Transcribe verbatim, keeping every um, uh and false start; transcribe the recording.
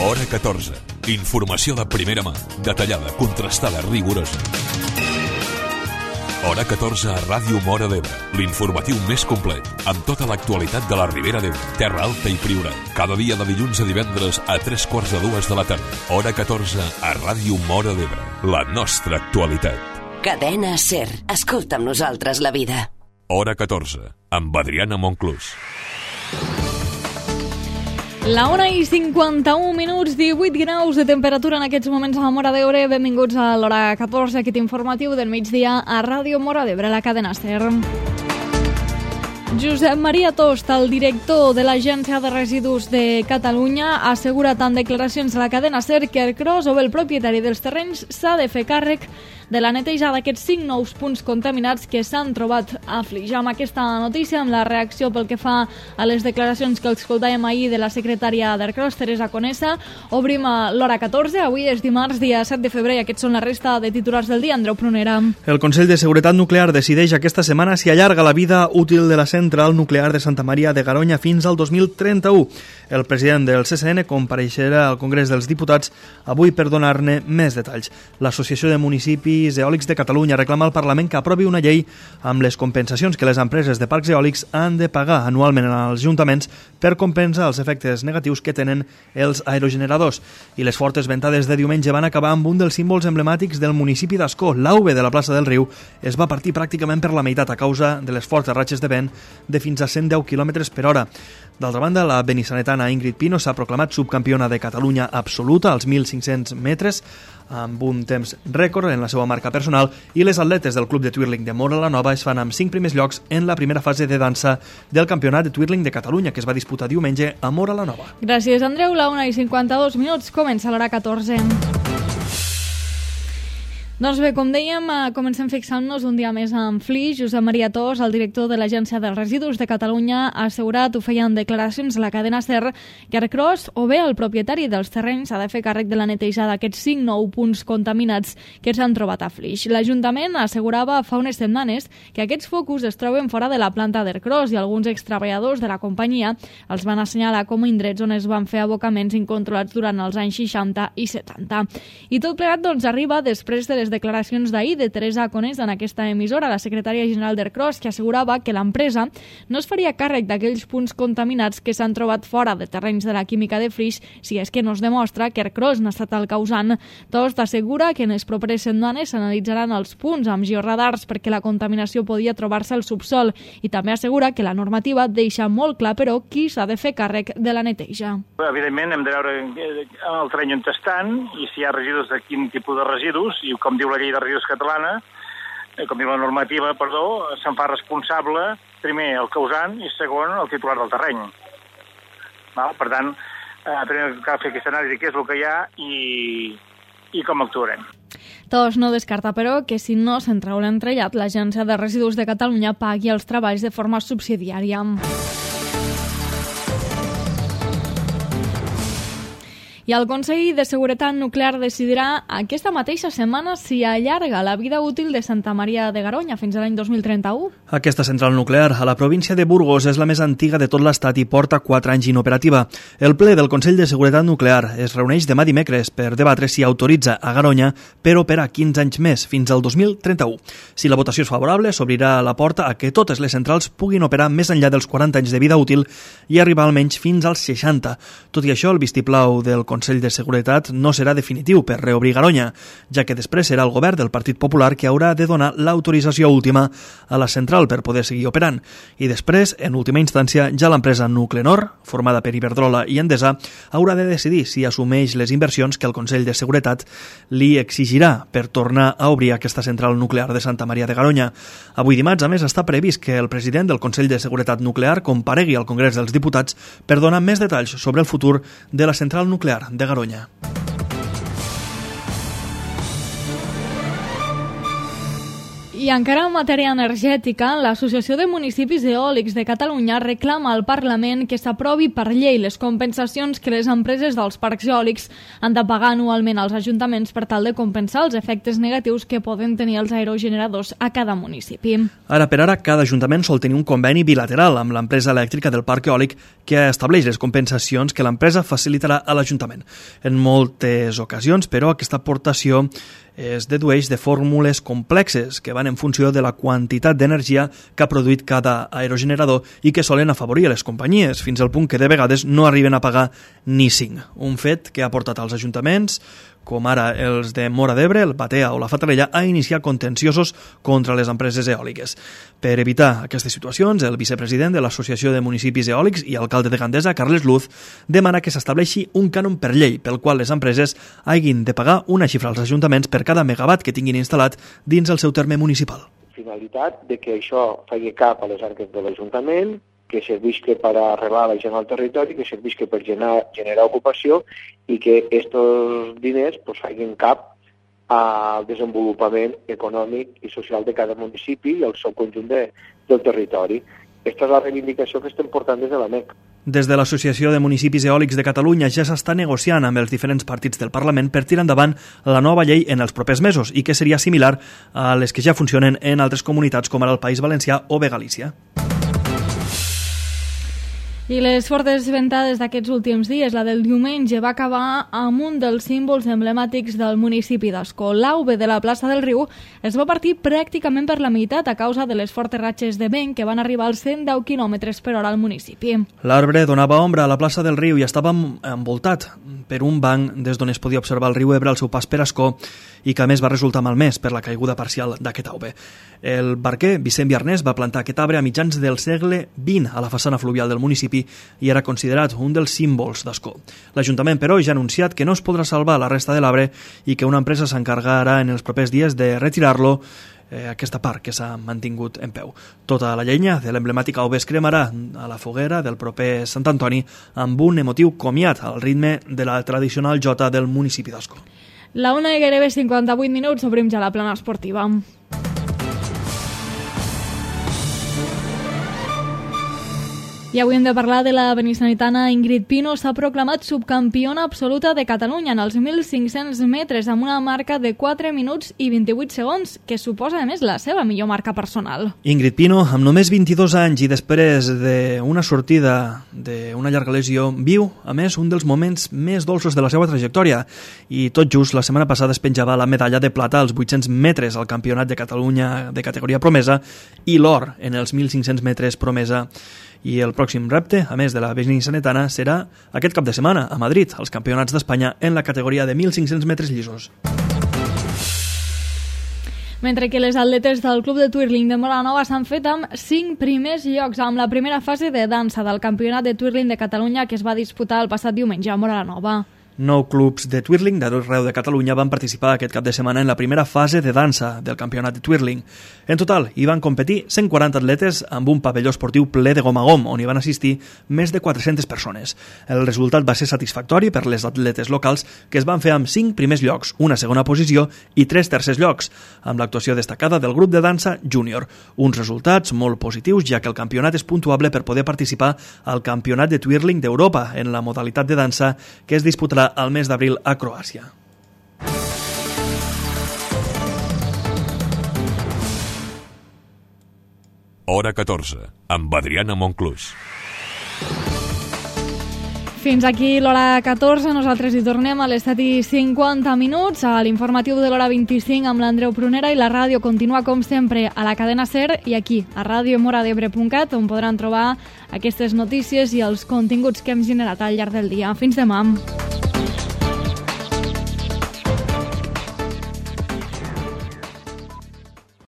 Hora catorze. Informació de primera mà, detallada, contrastada, rigorosa. Hora catorze a Ràdio Móra d'Ebre, l'informatiu més complet, amb tota l'actualitat de la Ribera d'Ebre, Terra Alta i Priorat. Cada dia de dilluns a divendres a tres quarts de dues de la tarda. Hora catorze a Ràdio Móra d'Ebre, la nostra actualitat. Cadena SER. Escolta amb nosaltres la vida. Hora catorze, amb Adriana Monclús. La una i cinquanta-un minuts, divuit graus de temperatura en aquests moments a la Móra d'Ebre. Benvinguts a l'Hora catorze, aquest informatiu del migdia a Ràdio Móra d'Ebre, la cadena SER. Josep Maria Tost, el director de l'Agència de Residus de Catalunya, ha assegurat en declaracions a la cadena SER que Ercros, o bé el propietari dels terrenys, s'ha de fer càrrec de la neteja d'aquests cinc nous punts contaminats que s'han trobat a Flix. Amb aquesta notícia, amb la reacció pel que fa a les declaracions que escoltàvem ahir de la secretària d'Ercros, Teresa Conesa, obrim l'Hora catorze. Avui és dimarts, dia set de febrer, i aquests són la resta de titulars del dia. Andreu Prunera. El Consell de Seguretat Nuclear decideix aquesta setmana si allarga la vida útil de la central nuclear de Santa Maria de Garoña fins al dos mil trenta-u. El president del C C N compareixerà al Congrés dels Diputats avui per donar-ne més detalls. L'Associació de Municipis Eòlics de Catalunya reclama al Parlament que aprovi una llei amb les compensacions que les empreses de parcs eòlics han de pagar anualment als ajuntaments per compensar els efectes negatius que tenen els aerogeneradors. I les fortes ventades de diumenge van acabar amb un dels símbols emblemàtics del municipi d'Ascó. L'A V de la plaça del Riu es va partir pràcticament per la meitat a causa de les fortes ratxes de vent de fins a cent deu quilòmetres per hora. D'altra banda, la benissanetana Ingrid Pino s'ha proclamat subcampiona de Catalunya absoluta als mil cinc-cents metres amb un temps rècord en la seva marca personal, i les atletes del Club de Twirling de Móra la Nova es fan amb cinc primers llocs en la primera fase de dansa del Campionat de Twirling de Catalunya, que es va disputar diumenge a Móra la Nova. Gràcies, Andreu. La una i cinquanta-dos minuts, comença l'Hora catorze. Doncs bé, com dèiem, comencem fixant-nos un dia més en Flix. Josep Maria Tost, el director de l'Agència dels Residus de Catalunya, ha assegurat, ho feia en declaracions a la cadena SER, que Ercros, o bé el propietari dels terrenys, ha de fer càrrec de la neteja d'aquests cinc nou punts contaminats que s'han trobat a Flix. L'Ajuntament assegurava fa unes setmanes que aquests focus es troben fora de la planta d'Ercros i alguns extreballadors de la companyia els van assenyalar com a indrets on es van fer abocaments incontrolats durant els anys seixanta i setanta. I tot plegat, doncs, arriba després de les declaracions d'ahir de Teresa Conesa en aquesta emissora, la secretària general d'Ercros, que assegurava que l'empresa no es faria càrrec d'aquells punts contaminats que s'han trobat fora de terrenys de la química de Flix si és que no es demostra que Ercros n'ha estat el causant. Tost assegura que en les properes setmanes s'analitzaran els punts amb georadars perquè la contaminació podia trobar-se al subsol, i també assegura que la normativa deixa molt clar, però, qui s'ha de fer càrrec de la neteja. Evidentment hem de veure el terreny on estan i si hi ha residus de quin tipus de residus, i com diu la llei de residus catalana, com diu la normativa, perdó, se'n fa responsable, primer, el causant, i segon, el titular del terreny. Val? Per tant, eh, primer cal fer aquesta anàlisi, què és el que hi ha i, i com actuarem. Tost no descarta, però, que si no s'entrau l'entrellat, l'Agència de Residus de Catalunya pagui els treballs de forma subsidiària. I el Consell de Seguretat Nuclear decidirà aquesta mateixa setmana si allarga la vida útil de Santa Maria de Garoña fins a l'any dos mil trenta-u. Aquesta central nuclear a la província de Burgos és la més antiga de tot l'estat i porta quatre anys inoperativa. El ple del Consell de Seguretat Nuclear es reuneix demà dimecres per debatre si autoritza a Garoña per operar quinze anys més, fins al dos mil trenta-u. Si la votació és favorable, s'obrirà la porta a que totes les centrals puguin operar més enllà dels quaranta anys de vida útil i arribar almenys fins als seixanta. Tot i això, el vistiplau del Consell de Seguretat no serà definitiu per reobrir Garoña, ja que després serà el govern del Partit Popular que haurà de donar l'autorització última a la central per poder seguir operant. I després, en última instància, ja l'empresa Nuclenor, formada per Iberdrola i Endesa, haurà de decidir si assumeix les inversions que el Consell de Seguretat li exigirà per tornar a obrir aquesta central nuclear de Santa Maria de Garoña. Avui dimarts, a més, està previst que el president del Consell de Seguretat Nuclear comparegui al Congrés dels Diputats per donar més detalls sobre el futur de la central nuclear de Garoña. I encara en matèria energètica, l'Associació de Municipis Eòlics de Catalunya reclama al Parlament que s'aprovi per llei les compensacions que les empreses dels parcs eòlics han de pagar anualment als ajuntaments per tal de compensar els efectes negatius que poden tenir els aerogeneradors a cada municipi. Ara per ara, cada ajuntament sol tenir un conveni bilateral amb l'empresa elèctrica del parc eòlic que estableix les compensacions que l'empresa facilitarà a l'Ajuntament. En moltes ocasions, però, aquesta aportació es dedueix de fórmules complexes que van en funció de la quantitat d'energia que ha produït cada aerogenerador i que solen afavorir les companyies, fins al punt que de vegades no arriben a pagar ni cinc. Un fet que ha portat als ajuntaments, com ara els de Móra d'Ebre, el Batea o la Fatarella, a iniciar contenciosos contra les empreses eòliques. Per evitar aquestes situacions, el vicepresident de l'Associació de Municipis Eòlics i alcalde de Gandesa, Carles Luz, demana que s'estableixi un cànon per llei pel qual les empreses hagin de pagar una xifra als ajuntaments per cada megawatt que tinguin instal·lat dins el seu terme municipal. Finalitat de que això faci cap a les arques de l'Ajuntament, que servisca per arrelar la gent al territori, que servisca per generar, generar ocupació i que aquests diners pues, facin cap al desenvolupament econòmic i social de cada municipi i al seu conjunt de, del territori. Aquesta és la reivindicació que estem portant des de l'A M E C. Des de l'Associació de Municipis Eòlics de Catalunya ja s'està negociant amb els diferents partits del Parlament per tirar endavant la nova llei en els propers mesos i que seria similar a les que ja funcionen en altres comunitats com ara el País Valencià o bé Galícia. I les fortes ventades d'aquests últims dies, la del diumenge, va acabar amb un dels símbols emblemàtics del municipi d'Ascó. L'auve de la plaça del Riu es va partir pràcticament per la meitat a causa de les fortes ratxes de vent que van arribar als cent deu quilòmetres per hora al municipi. L'arbre donava ombra a la plaça del Riu i estava envoltat per un banc des d'on es podia observar el riu Ebre al seu pas per Ascó i que a més va resultar malmès per la caiguda parcial d'aquest auve. El barquer Vicent Viarnés va plantar aquest arbre a mitjans del segle vint a la façana fluvial del municipi i era considerat un dels símbols d'Ascó. L'Ajuntament, però, ja ha anunciat que no es podrà salvar la resta de l'arbre i que una empresa s'encargarà en els propers dies de retirar-lo, eh, aquesta part que s'ha mantingut en peu. Tota la llenya de l'emblemàtic auve es cremarà a la foguera del proper Sant Antoni amb un emotiu comiat al ritme de la tradicional jota del municipi d'Ascó. La una i gairebé cinquanta-vuit minuts, obrim ja la plana esportiva. I avui hem de parlar de la benissanitana Ingrid Pino. S'ha proclamat subcampiona absoluta de Catalunya en els mil cinc-cents metres amb una marca de quatre minuts i vint-i-vuit segons, que suposa, a més, la seva millor marca personal. Ingrid Pino, amb només vint-i-dos anys i després d'una sortida d'una llarga lesió, viu, a més, un dels moments més dolços de la seva trajectòria. I tot just la setmana passada es penjava la medalla de plata als vuit-cents metres al Campionat de Catalunya de categoria promesa i l'or en els mil cinc-cents metres promesa. I el pròxim repte, a més de la benissanetana, serà aquest cap de setmana a Madrid, als Campionats d'Espanya en la categoria de mil cinc-cents metres llisos. Mentre que les atletes del Club de Twirling de Móra la Nova s'han fet amb cinc primers llocs amb la primera fase de dansa del Campionat de Twirling de Catalunya que es va disputar el passat diumenge a Móra la Nova. Nou clubs de twirling d'arreu de Catalunya van participar aquest cap de setmana en la primera fase de dansa del campionat de twirling. En total, hi van competir cent quaranta atletes amb un pavelló esportiu ple de gom a gom, on hi van assistir més de quatre-centes persones. El resultat va ser satisfactori per les atletes locals, que es van fer amb cinc primers llocs, una segona posició i tres tercers llocs, amb l'actuació destacada del grup de dansa júnior. Uns resultats molt positius, ja que el campionat és puntuable per poder participar al Campionat de Twirling d'Europa en la modalitat de dansa que es disputarà al mes d'abril a Croàcia. Hora catorze, amb Adriana Monclús. Fins aquí l'hora catorze, nosaltres hi tornem a les set i cinquanta minuts a l'informatiu de l'hora vint-i-cinc amb l'Andreu Prunera i la ràdio continua com sempre a la cadena SER i aquí a ràdio mora d'ebre punt cat on podran trobar aquestes notícies i els continguts que hem generat al llarg del dia. Fins demà.